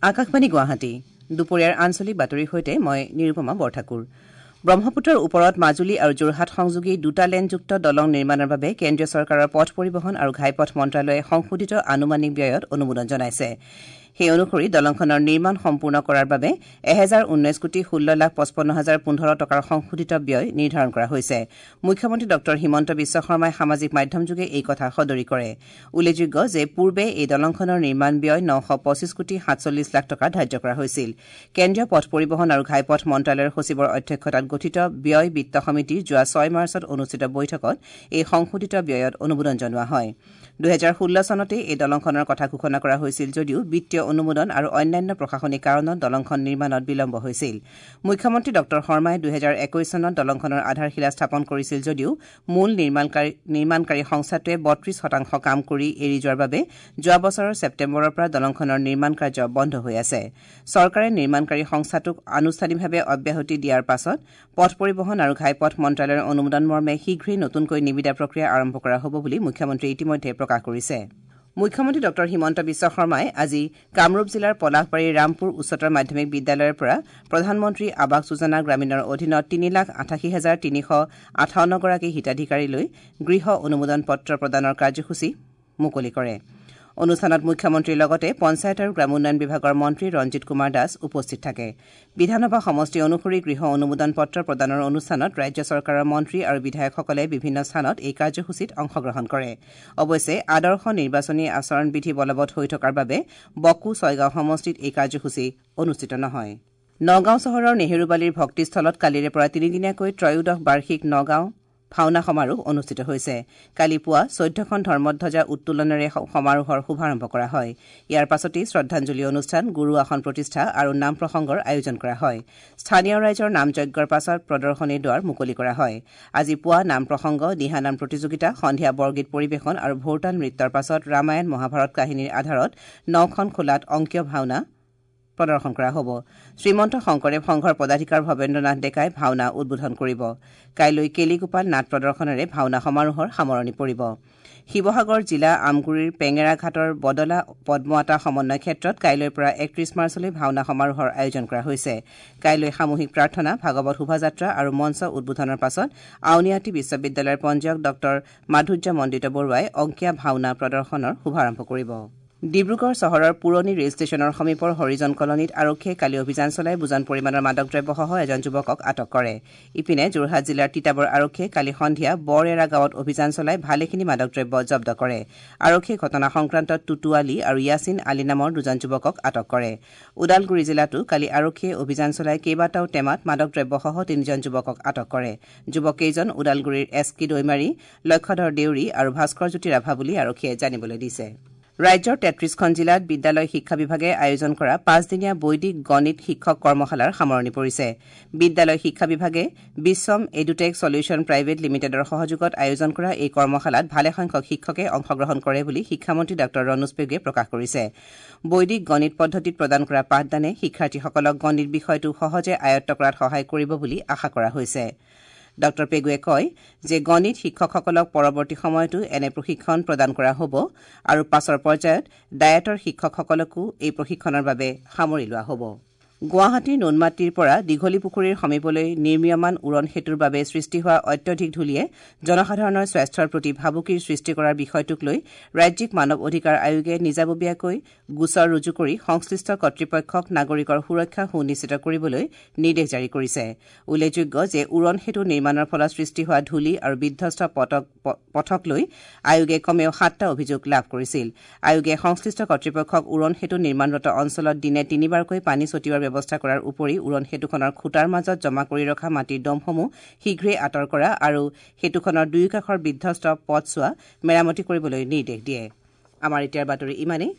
আকাশবাণী গুৱাহাটী দুপৰীয়াৰ আঞ্চলিক বাতৰিৰ সৈতে মই নিৰুপমা বৰঠাকুৰ। ব্ৰহ্মপুত্ৰৰ ওপৰত মাজুলী আৰু যোৰহাট সংযোগী দুটা লেনযুক্ত দলং নিৰ্মাণৰ বাবে কেন্দ্ৰীয় চৰকাৰৰ পথ পৰিবহণ আৰু ঘাইপথ মন্ত্ৰালয়ে সংশোধিত আনুমানিক ব্যয়ত অনুমোদন জনাইছে। সেই অনুসৰি দলংখনৰ নিৰ্মাণ সম্পূৰ্ণ কৰাৰ বাবে ১০১৯,১৬,৫৫,০১৫ টকাৰ সংশোধিত ব্যয় নিৰ্ধাৰণ কৰা হৈছে। মুখ্যমন্ত্ৰী ডঃ হিমন্ত বিশ্ব শৰ্মাই সামাজিক মাধ্যমযোগে এই কথা সদৰি কৰে। উল্লেখযোগ্য যে পূৰ্বে এই দলংখনৰ নিৰ্মাণ ব্যয় ৯২৫ কোটি ৪৭ লাখ টকা ধাৰ্য কৰা হৈছিল। কেন্দ্ৰীয় পথ পৰিবহণ আৰু ঘাইপথ মন্ত্ৰালয়ৰ সচিবৰ অধ্যক্ষতাত গঠিত ব্যয় বিত্ত সমিতিৰ যোৱা ৬ মাৰ্চত অনুষ্ঠিত বৈঠকত এই সংশোধিত ব্যয়ত অনুমোদন জনোৱা হয়। ২০১৬ চনতেই এই দলংখনৰ কথা ঘোষণা কৰা হৈছিল যদিও বিত্তীয় অনুমোদন আৰু অন্যান্য প্ৰশাসনিক কাৰণত দলংখন নিৰ্মাণত বিলম্ব হৈছিল। মুখ্যমন্ত্ৰী ডঃ শৰ্মাই ২০২১ চনত দলংখনৰ আধাৰশিলা স্থাপন কৰিছিল যদিও মূল নিৰ্মাণকাৰী সংস্থাটোৱে ৩২% কাম কৰি এৰি যোৱাৰ বাবে যোৱা বছৰৰ ছেপ্তেম্বৰৰ পৰা দলংখনৰ নিৰ্মাণ কাৰ্য বন্ধ হৈ আছে। চৰকাৰে নিৰ্মাণকাৰী সংস্থাটোক আনুষ্ঠানিকভাৱে অব্যাহতি দিয়াৰ পাছত পথ পৰিবহণ আৰু ঘাইপথ মন্ত্ৰালয়ৰ অনুমোদন মৰ্মে শীঘ্ৰেই নতুনকৈ নিবিদা প্ৰক্ৰিয়া আৰম্ভ কৰা হ'ব বুলি মুখ্যমন্ত্ৰীয়ে ইতিমধ্যে প্ৰকাশ কৰিছে। মুখ্যমন্ত্ৰী ডঃ হিমন্ত বিশ্ব শৰ্মাই আজি কামৰূপ জিলাৰ পলাশবাৰীৰ ৰামপুৰ উচ্চতৰ মাধ্যমিক বিদ্যালয়ৰ পৰা প্ৰধানমন্ত্ৰী আৱাস যোজনা গ্ৰামীণৰ অধীনত ৩,৮৮,৩৫৮ গৰাকী হিতাধিকাৰীলৈ গৃহ অনুমোদন পত্ৰ প্ৰদানৰ কাৰ্যসূচী মুকলি কৰে। অনুষ্ঠানত মুখ্যমন্ত্ৰীৰ লগতে পঞ্চায়ত আৰু গ্ৰামোন্নয়ন বিভাগৰ মন্ত্ৰী ৰঞ্জিত কুমাৰ দাস উপস্থিত থাকে। বিধানসভা সমষ্টি অনুসৰি গৃহ অনুমোদন পত্ৰ প্ৰদানৰ অনুষ্ঠানত ৰাজ্য চৰকাৰৰ মন্ত্ৰী আৰু বিধায়কসকলে বিভিন্ন স্থানত এই কাৰ্যসূচীত অংশগ্ৰহণ কৰে। অৱশ্যে আদৰ্শ নিৰ্বাচনী আচৰণ বিধি বলবৎ হৈ থকাৰ বাবে বকো ছয়গাঁও সমষ্টিত এই কাৰ্যসূচী অনুষ্ঠিত নহয়। নগাঁও চহৰৰ নেহেৰুবালিৰ ভক্তিস্থলত কালিৰে পৰা তিনিদিনীয়াকৈ ত্ৰয়োদশ বাৰ্ষিক নগাঁও ভাওনা সমাৰোহ অনুষ্ঠিত হৈছে। কালি পুৱা ১৪খন ধৰ্মধ্বজা উত্তোলনেৰে সমাৰোহৰ শুভাৰম্ভ কৰা হয়। ইয়াৰ পাছতেই শ্ৰদ্ধাঞ্জলি অনুষ্ঠান, গুৰু আসন প্ৰতিষ্ঠা আৰু নাম প্ৰসংগৰ আয়োজন কৰা হয়। স্থানীয় ৰাইজৰ নামযজ্ঞৰ পাছত প্ৰদৰ্শনীৰ দুৱাৰ মুকলি কৰা হয়। আজি পুৱা নাম প্ৰসংগ, দিহানাম প্ৰতিযোগিতা, সন্ধিয়া বৰগীত পৰিৱেশন আৰু ভোৰতাল নৃত্যৰ পাছত ৰামায়ণ মহাভাৰত কাহিনীৰ আধাৰত নখন খোলাত অংকীয় ভাওনা প্ৰদৰ্শন কৰা হ'ব। শ্ৰীমন্ত শংকৰদেৱ সংঘৰ পদাধিকাৰ ভৱেন্দ্ৰ নাথ ডেকাই ভাওনা উদ্বোধন কৰিব। কাইলৈ কেলিগোপাল নাট প্ৰদৰ্শনেৰে ভাওনা সমাৰোহৰ সামৰণি পৰিব। শিৱসাগৰ জিলা আমগুৰিৰ পেঙেৰাঘাটৰ বদলা পদ্মআতা সমন্বয় ক্ষেত্ৰত কাইলৈৰ পৰা ৩১ মাৰ্চলৈ ভাওনা সমাৰোহৰ আয়োজন কৰা হৈছে। কাইলৈ সামূহিক প্ৰাৰ্থনা, ভাগৱত শোভাযাত্ৰা আৰু মঞ্চ উদ্বোধনৰ পাছত আউনীআটী বিশ্ববিদ্যালয়ৰ পঞ্জীয়ক ডঃ মাধুৰ্য মণ্ডিত বৰুৱাই অংকীয়া ভাওনা প্ৰদৰ্শনৰ শুভাৰম্ভ কৰিব। ডিব্ৰুগড় চহৰৰ পুৰণি ৰেল ষ্টেচনৰ সমীপৰ হৰিজন কলনীত আৰক্ষীয়ে কালি অভিযান চলাই বুজন পৰিমাণৰ মাদক দ্ৰব্যসহ এজন যুৱকক আটক কৰে। ইপিনে যোৰহাট জিলাৰ তিতাবৰ আৰক্ষীয়ে কালি সন্ধিয়া বৰএৰা গাঁৱত অভিযান চলাই ভালেখিনি মাদক দ্ৰব্য জব্দ কৰে। আৰক্ষীয়ে ঘটনা সংক্ৰান্তত টুটু আলী আৰু য়াছিন আলী নামৰ দুজন যুৱকক আটক কৰে। ওদালগুৰি জিলাতো কালি আৰক্ষীয়ে অভিযান চলাই কেইবাটাও টেমাত মাদক দ্ৰব্যসহ তিনিজন যুৱকক আটক কৰে। যুৱককেইজন ওদালগুৰিৰ এছ কে দৈমাৰী, লক্ষ্যধৰ দেউৰী আৰু ভাস্কৰজ্যোতি ৰাভা বুলি আৰক্ষীয়ে জানিবলৈ দিছে। ৰাজ্যৰ ৩৩খন জিলাত বিদ্যালয় শিক্ষা বিভাগে আয়োজন কৰা পাঁচদিনীয়া বৈদিক গণিত শিক্ষক কৰ্মশালাৰ সামৰণি পৰিছে। বিদ্যালয় শিক্ষা বিভাগে বিশ্বম এডুটেক ছলিউশ্যন প্ৰাইভেট লিমিটেডৰ সহযোগত আয়োজন কৰা এই কৰ্মশালাত ভালেসংখ্যক শিক্ষকে অংশগ্ৰহণ কৰে বুলি শিক্ষামন্ত্ৰী ডাঃ ৰণোজ পেগুৱে প্ৰকাশ কৰিছে। বৈদিক গণিত পদ্ধতিত প্ৰদান কৰা পাঠদানে শিক্ষাৰ্থীসকলক গণিত বিষয়টো সহজে আয়ত্ব কৰাত সহায় কৰিব বুলি আশা কৰা হৈছে। ডাঃ পেগুৱে কয় যে গণিত শিক্ষকসকলক পৰৱৰ্তী সময়তো এনে প্ৰশিক্ষণ প্ৰদান কৰা হ'ব আৰু পাছৰ পৰ্যায়ত ডায়েটৰ শিক্ষকসকলকো এই প্ৰশিক্ষণৰ বাবে সামৰি লোৱা হ'ব। গুৱাহাটীৰ নুনমাটিৰ পৰা দীঘলীপুখুৰীৰ সমীপলৈ নিৰ্মীয়মান উৰণ সেতুৰ বাবে সৃষ্টি হোৱা অত্যধিক ধূলিয়ে জনসাধাৰণৰ স্বাস্থ্যৰ প্ৰতি ভাবুকিৰ সৃষ্টি কৰাৰ বিষয়টোক লৈ ৰাজ্যিক মানৱ অধিকাৰ আয়োগে নিজাববীয়াকৈ গোচৰ ৰুজু কৰি সংশ্লিষ্ট কৰ্তৃপক্ষক নাগৰিকৰ সুৰক্ষা সুনিশ্চিত কৰিবলৈ নিৰ্দেশ জাৰি কৰিছে। উল্লেখযোগ্য যে উৰণ সেতু নিৰ্মাণৰ ফলত সৃষ্টি হোৱা ধূলি আৰু বিধ্বস্ত পথক লৈ আয়োগে কমেও সাতটা অভিযোগ লাভ কৰিছিল। আয়োগে সংশ্লিষ্ট কৰ্তৃপক্ষক উৰণ সেতু নিৰ্মাণৰত অঞ্চলত দিনে তিনিবাৰকৈ পানী ছটিওৱাৰ ব্যৱস্থা কৰাৰ উপৰি উৰণ সেতুখনৰ খুঁটাৰ মাজত জমা কৰি ৰখা মাটিৰ দমসমূহ শীঘ্ৰেই আঁতৰ কৰা আৰু সেতুখনৰ দুয়োকাষৰ বিধ্বস্ত পথছোৱা মেৰামতি কৰিবলৈ নিৰ্দেশ দিয়ে। আমাৰ এতিয়াৰ বাতৰি ইমানেই।